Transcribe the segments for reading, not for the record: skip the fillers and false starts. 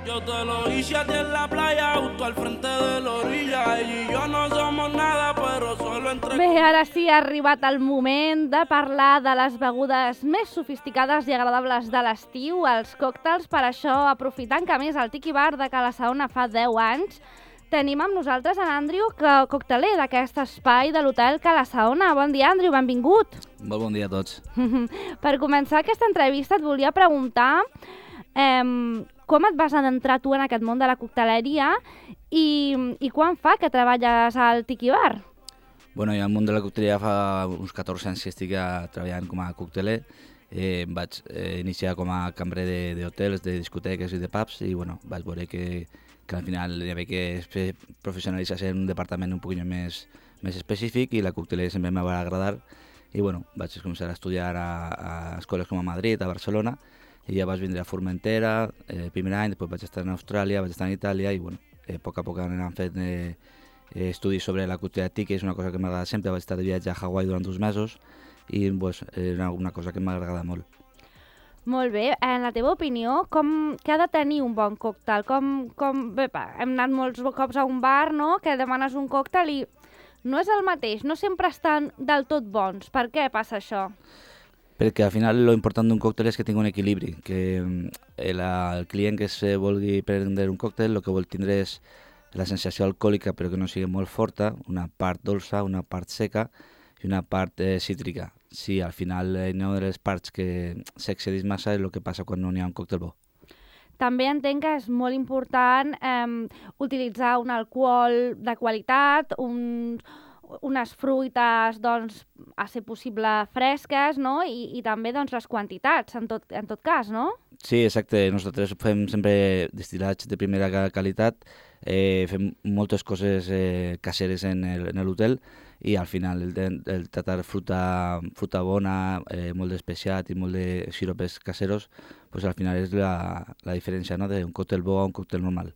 Yo te lo hice a ti en la playa, justo al frente de la orilla. Ella y yo no somos nada, pero solo entre... Bé, ara sí ha arribat el moment de parlar de les begudes més sofisticades i agradables de l'estiu, els còctels. Per això, aprofitant que a més el Tiki Bar de Cala Saona fa 10 anys, tenim amb nosaltres en Andrew, cocteler d'aquest espai de l'hotel Cala Saona. Bon dia, Andrew, benvingut. Molt bon dia a tots. Per començar aquesta entrevista et volia preguntar com et vas adentrar tu en aquest món de la cocteleria i quan fa que treballes al Tiki Bar? Bueno, jo al món de la cocteleria fa uns 14 anys que estic treballant com a cocteler. Vaig iniciar com a cambrer d'hotels, de discoteques i de pubs i bueno, vaig veure que al final hi havia que professionalitzar-se en un departament un poquillo més específic i la cocteleria sempre em va agradar i bueno, vaig començar a estudiar a escoles com a Madrid, a Barcelona i ja vaig vindre a Formentera el primer any, després vaig estar en Austràlia, vaig estar en Itàlia i bueno, a poc a poc anem fent estudis sobre la cocteleria tiki, és una cosa que m'agrada sempre, vaig estar de viatge a Hawaii durant 2 mesos i pues, era una cosa que m'agrada molt. Molt bé, en la teva opinió, què ha de tenir un bon còctel? Bé, hem anat molts cops a un bar, no?, que demanes un còctel i no és el mateix, no sempre estan del tot bons. Per què passa això? Perquè al final lo important d'un còctel és que tingui un equilibri, que el client que se vulgui prendre un còctel el que vol tindre és la sensació alcohòlica però que no sigui molt forta, una part dolça, una part seca i una part cítrica. Si al final no de les parts que s'excedeix massa és el que passa quan no hi ha un còctel bo. També entenc que és molt important utilitzar un alcohol de qualitat, unes fruites, doncs, a ser possible fresques, no? I també doncs, les quantitats, en tot cas, no? Sí, exacte. Nosaltres fem sempre destil·lats de primera qualitat, fem moltes coses caseres en l'hotel i al final el tratar fruta bona, molt d'especiat i molt de xaropes caseros, pues al final és la diferència, no?, d'un còctel bo a un còctel normal.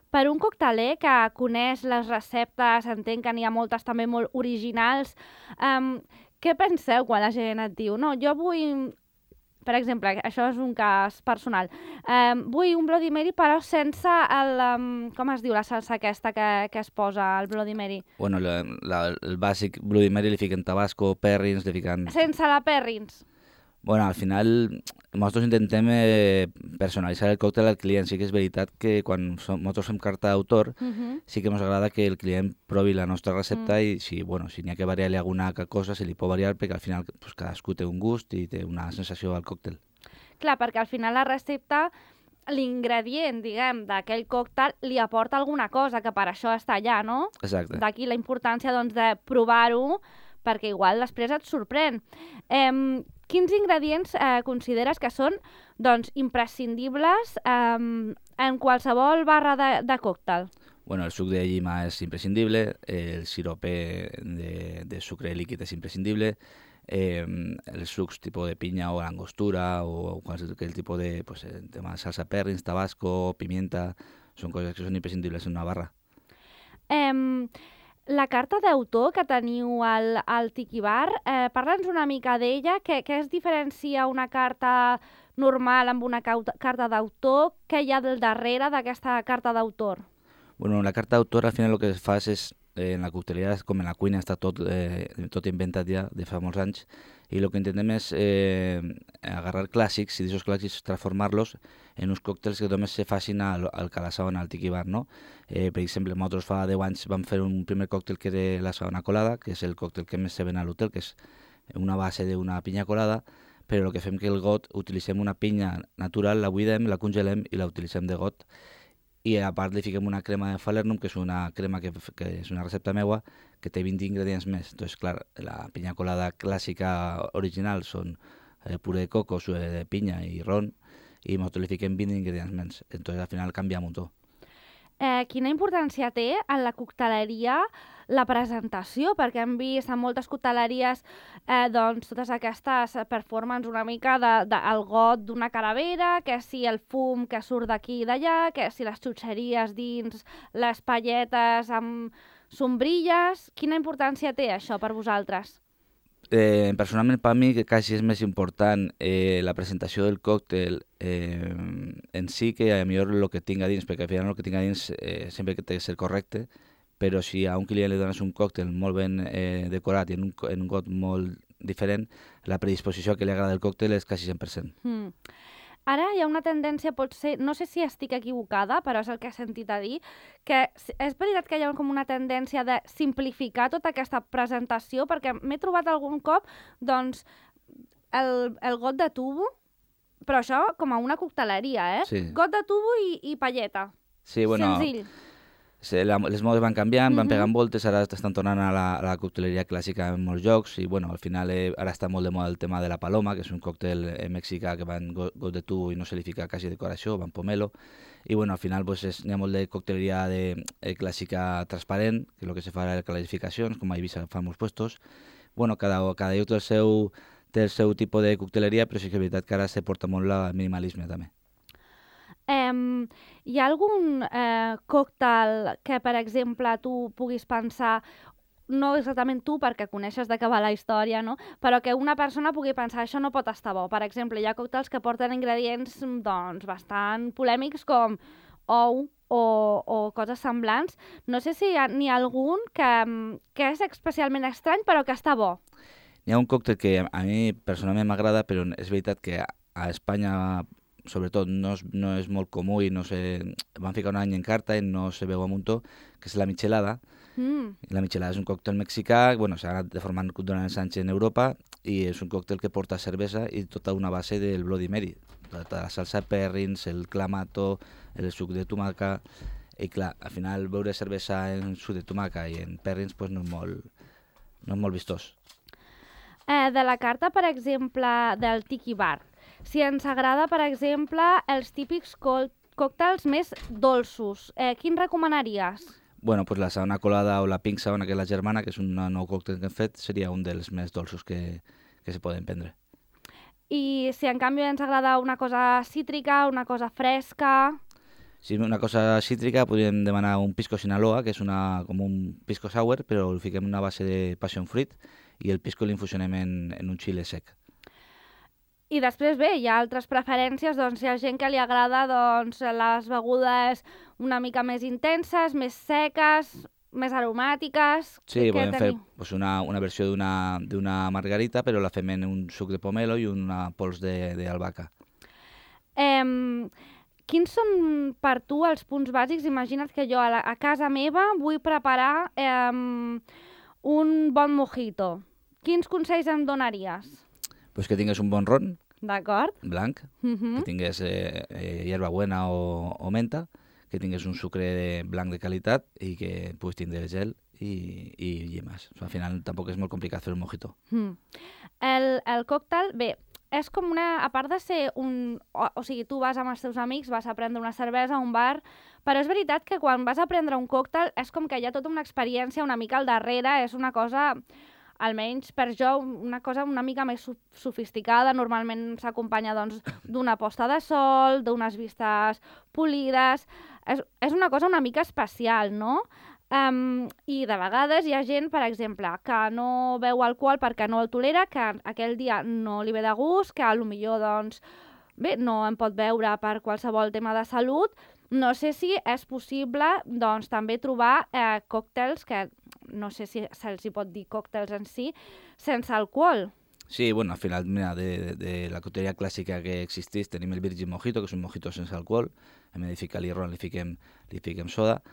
Per un cocteler que coneix les receptes, entenc que n'hi ha moltes també molt originals, què penseu quan la gent et diu? No, jo vull, per exemple, això és un cas personal, vull un Bloody Mary però sense com es diu la salsa aquesta que es posa al Bloody Mary? Bueno, el bàsic Bloody Mary li fiquen tabasco, perrins, li fiquen... Sense la perrins? Bueno, al final nosaltres intentem personalitzar el còctel al client. Sí que és veritat que quan nosaltres fem carta d'autor sí que ens agrada que el client provi la nostra recepta i si n'hi ha que variar-li alguna cosa se li pot variar perquè al final pues, cadascú té un gust i té una sensació al còctel. Clar, perquè al final la recepta, l'ingredient, diguem, d'aquell còctel li aporta alguna cosa que per això està allà, no? Exacte. D'aquí la importància doncs, de provar-ho perquè igual després et sorprèn. Quins ingredients consideres que són doncs, imprescindibles en qualsevol barra de còctel? Bueno, el suc de llima és imprescindible, el sirope de sucre líquid és imprescindible, els sucs tipus de pinya o angostura o qualsevol tipus de tema de salsa perrins, tabasco, pimienta, són coses que són imprescindibles en una barra. La carta d'autor que teniu al Tiki Bar, parla'ns una mica d'ella, què es diferencia una carta normal amb una carta d'autor? Què hi ha del darrere d'aquesta carta d'autor? Bueno, la carta d'autor al final el que es fa és, en la cocteleria com en la cuina està tot inventat ja de fa molts anys i el que intentem és agarrar clàssics i d'aquests clàssics transformar-los en uns còctels que només se facin al Cala Saona, al Tiki Bar, no? Per exemple, nosaltres fa 10 anys vam fer un primer còctel que era la Saona Colada, que és el còctel que més se ven a l'hotel, que és una base d'una pinya colada, però el que fem que el got utilitzem una pinya natural, la buidem, la congelem i la utilitzem de got i a part li fiquem una crema de Falernum, que és una crema que és una recepta meua, que té 20 ingredients més. Entonces, clar, la pinya colada clàssica original són puré de coco, sué de pinya i ron, i nosaltres li fiquem 20 ingredients més. Entonces, al final canvia un muntó. Quina importància té en la cocteleria la presentació? Perquè hem vist en moltes cocteleries doncs, totes aquestes performances una mica del got d'una calavera, que si el fum que surt d'aquí i d'allà, que si les xutxeries dins, les palletes amb sombrilles... Quina importància té això per vosaltres? Personalment, per mi, que quasi és més important la presentació del còctel en si que a millor el que tinga dins, perquè al final el que tinga dins sempre que té que ser correcte, però si a un client li dones un còctel molt ben decorat i en un got molt diferent, la predisposició que li agrada el còctel és quasi 100%. Ara hi ha una tendència, potser, no sé si estic equivocada, però és el que he sentit a dir, que és veritat que hi ha com una tendència de simplificar tota aquesta presentació, perquè m'he trobat algun cop, doncs, el got de tubo, però això com a una cocteleria, Sí. Got de tubo i palleta. Sí, bueno, Senzill. les modes van canviant, van pegant voltes, ara estan tornant a la cocteleria clàssica en molts llocs i bueno, al final ara està molt de moda el tema de la paloma, que és un còctel mexicà que va en got de tubo i no se li fica quasi decoració, va en pomelo, i bueno, al final pues, hi ha molt de cocteleria clàssica transparent, que és el que se fa a les clarificacions, com a Eivissa fa molts puestos. Bueno, cada lloc té el seu tipus de cocteleria, però sí que és veritat que ara se porta molt el minimalisme també. Hi ha algun còctel que, per exemple, tu puguis pensar, no exactament tu, perquè coneixes de què va la història, no? Però que una persona pugui pensar, això no pot estar bo. Per exemple, hi ha còctels que porten ingredients doncs, bastant polèmics com ou o coses semblants. No sé si n'hi ha algun que és especialment estrany, però que està bo. Hi ha un còctel que a mi personalment m'agrada, però és veritat que a Espanya sobretot no és molt comú i no sé, van ficar un any en carta i no se veu a muntó, que és la michelada. La michelada és un còctel mexicà, bueno, s'ha anat deformant durant els anys en Europa i és un còctel que porta cervesa i tota una base del Bloody Mary. La salsa Perrins, el clamato, el suc de tomaca, i clar, al final beure cervesa en suc de tomaca i en Perrins pues, no és molt vistós. De la carta, per exemple, del Tiki Bar, si ens agrada, per exemple, els típics còctels més dolços, quin recomanaries? Bueno, pues la sauna colada o la pink sauna, que és la germana, que és un nou còctel que hem fet, seria un dels més dolços que se poden prendre. I si en canvi ens agrada una cosa cítrica, una cosa fresca... Si és una cosa cítrica, podríem demanar un pisco Sinaloa, que és com un pisco sour, però el fiquem en una base de passion fruit i el pisco l'infusionem en un xile sec. I després, bé, hi ha altres preferències, doncs hi ha gent que li agrada doncs, les begudes una mica més intenses, més seques, més aromàtiques... Sí, podem fer pues, una versió d'una margarita, però la fem en un suc de pomelo i una pols d'albahaca. Quins són per tu els punts bàsics? Imagina't que jo a casa meva vull preparar un bon mojito. Quins consells em donaries? Pues que tingues un bon ron, d'acord, blanc, que tingués hierbabuena o menta, que tingués un sucre blanc de qualitat i que puguis tindre gel i llimes. Al final tampoc és molt complicat fer un mojito. El còctel, bé, és com una... A part de ser un... O sigui, tu vas amb els teus amics, vas a prendre una cervesa a un bar, però és veritat que quan vas a prendre un còctel és com que hi ha tota una experiència una mica al darrere, és una cosa... Almenys per jo, una cosa una mica més sofisticada. Normalment s'acompanya doncs, d'una posta de sol, d'unes vistes polides. És una cosa una mica especial, no? I de vegades hi ha gent, per exemple, que no beu alcohol perquè no el tolera, que aquell dia no li ve de gust, que potser doncs, bé, no en pot beure per qualsevol tema de salut. No sé si és possible doncs, també trobar còctels que... No sé si se'ls hi pot dir còctels en si, sense alcohol. Sí, bueno, al final, mira, de la cocteleria clàssica que existeix tenim el Virgin Mojito, que és un mojito sense alcohol. En vez de ficar-li ron, li fiquem soda.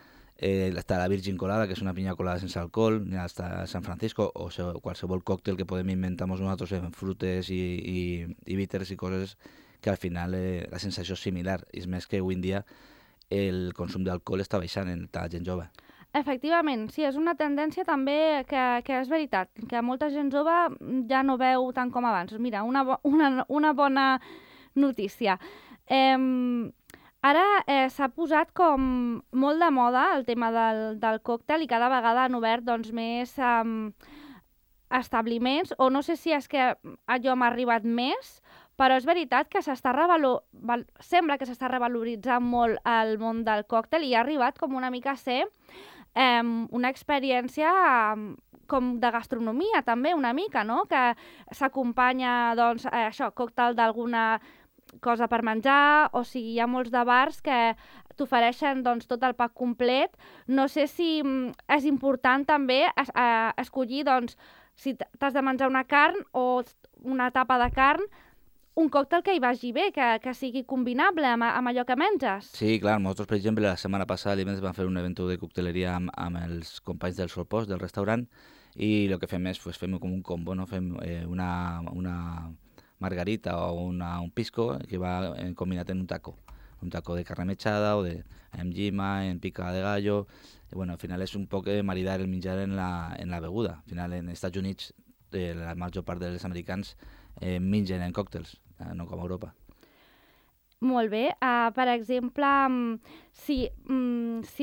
Està la Virgin Colada, que és una pinya colada sense alcohol. Està San Francisco, o qualsevol còctel que podem inventar nosaltres en frutes i bitters i coses que al final la sensació és similar. I és més que avui en dia el consum d'alcohol està baixant en la gent jove. Efectivament, sí, és una tendència també que és veritat, que molta gent jove ja no veu tant com abans. Mira, una bona notícia. Ara s'ha posat com molt de moda el tema del còctel i cada vegada han obert doncs, més establiments, o no sé si és que allò m'ha arribat més, però és veritat que sembla que s'està revaloritzant molt el món del còctel i ha arribat com una mica a ser una experiència com de gastronomia també una mica, no? Que s'acompanya, doncs, això, còctel d'alguna cosa per menjar, o sigui, hi ha molts de bars que t'ofereixen doncs, tot el pack complet. No sé si és important també escollir, doncs, si t'has de menjar una carn o una tapa de carn, un còctel que hi vagi bé, que sigui combinable amb allò que menges. Sí, clar, nosaltres, per exemple, la setmana passada divendres vam fer un event de cocteleria amb els companys del Solpost, del restaurant, i el que fem és, pues, fem com un combo, no? Fem una margarita o un pisco que va combinat en un taco de carne mechada o de engima, en pica de gallo. Y bueno, al final és un poc maridar el menjar en la beguda. Al final, en Estats Units, la major part dels americans mengen en còctels, no com a Europa. Molt bé. Per exemple, si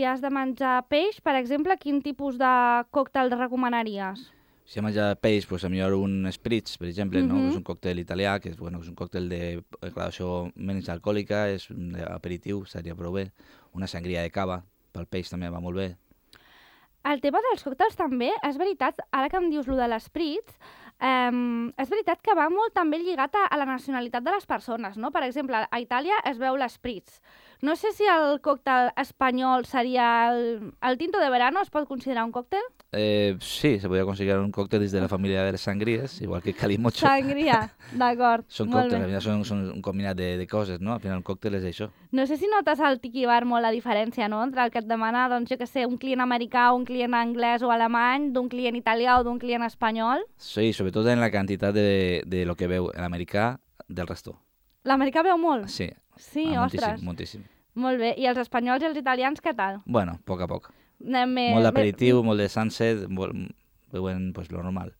has de menjar peix, per exemple, quin tipus de còctel recomanaries? Si hem menjat peix, pues, millor un spritz, per exemple, no? És un còctel italià, que és un còctel de gradació menys alcohòlica, és un aperitiu, seria prou bé. Una sangria de cava, pel peix també va molt bé. El tema dels còctels també, és veritat, ara que em dius lo de l'espritz, és veritat que va molt també lligat a la nacionalitat de les persones, no? Per exemple, a Itàlia es veu l'espritz. No sé si el còctel espanyol seria el tinto de verano, es pot considerar un còctel? Sí, se podria considerar un còctel des de la família de les sangries, igual que calimocho. Sangria, d'acord. Són còctels, al final són un combinat de coses, no? Al final un còctel és això. No sé si notes al Tiki Bar molt la diferència, no? Entre el que et demana, doncs, jo què sé, un client americà, un client anglès o alemany, d'un client italià o d'un client espanyol. Sí, sobretot en la quantitat de lo que veu l'americà del resto. L'americà veu molt? Sí. Sí, ostres. Moltíssim. Molt bé. I els espanyols i els italians, què tal? Bueno, a poc. Molt d'aperitiu, molt de sunset, veuen pues, lo normal.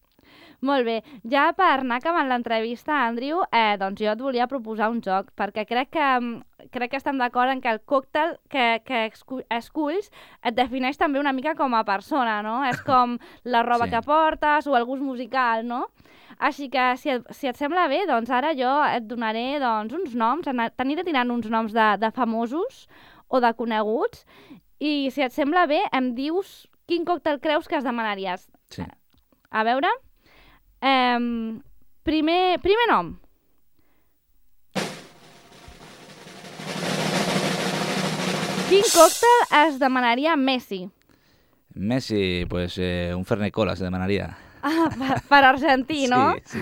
Molt bé. Ja per anar acabant l'entrevista, Andrew, doncs jo et volia proposar un joc, perquè crec que estem d'acord en que el còctel que esculls et defineix també una mica com a persona, no? És com la roba que portes o el gust musical, no? Així que, si et sembla bé, doncs ara jo et donaré uns noms, t'aniré tirant uns noms de famosos o de coneguts, i si et sembla bé, em dius quin còctel creus que es demanaries. Sí. A veure... primer nom. Quin còctel es demanaria Messi? Messi, pues un Fernet Cola se demanaria. Per argentí, no? Sí.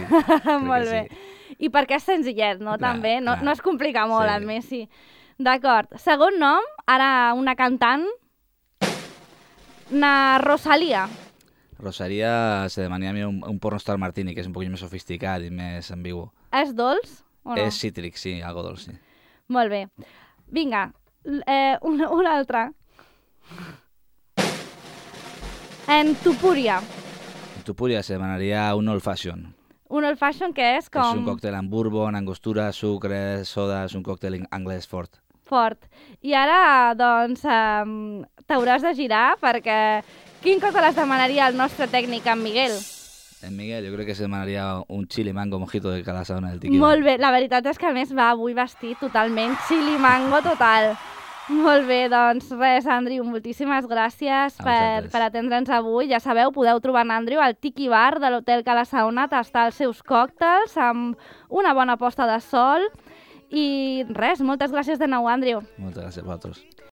Molt bé. Sí. I perquè és senzillet, no? Clar, també, no es complica molt en Messi. D'acord. Segon nom, ara una cantant, Rosalía. Rosalía se demanaria un pornostar martini, que és un poquillo més sofisticat i més ambigu. És dolç o no? És cítric, sí, algo dolç, sí. Molt bé. Vinga, una altra. En Tupuria. En Tupuria se demanaria un old fashion. Un old fashion que és com... És un còctel amb bourbon, angostura, sucre, soda, és un còctel anglès fort. Fort. I ara, doncs, t'hauràs de girar perquè... Quin còctel es demanaria el nostre tècnic, en Miguel? En Miguel, jo crec que se demanaria un chili mango mojito de cada sauna del Tiki Bar. Molt bé, la veritat és que a més va avui vestit totalment chili mango total. Molt bé, doncs res, Andrew, moltíssimes gràcies per atendre'ns avui. Ja sabeu, podeu trobar en Andrew al Tiki Bar de l'Hotel Cala Sauna, tastar els seus còctels amb una bona posta de sol. I res, moltes gràcies de nou, Andrew. Moltes gràcies a vosaltres.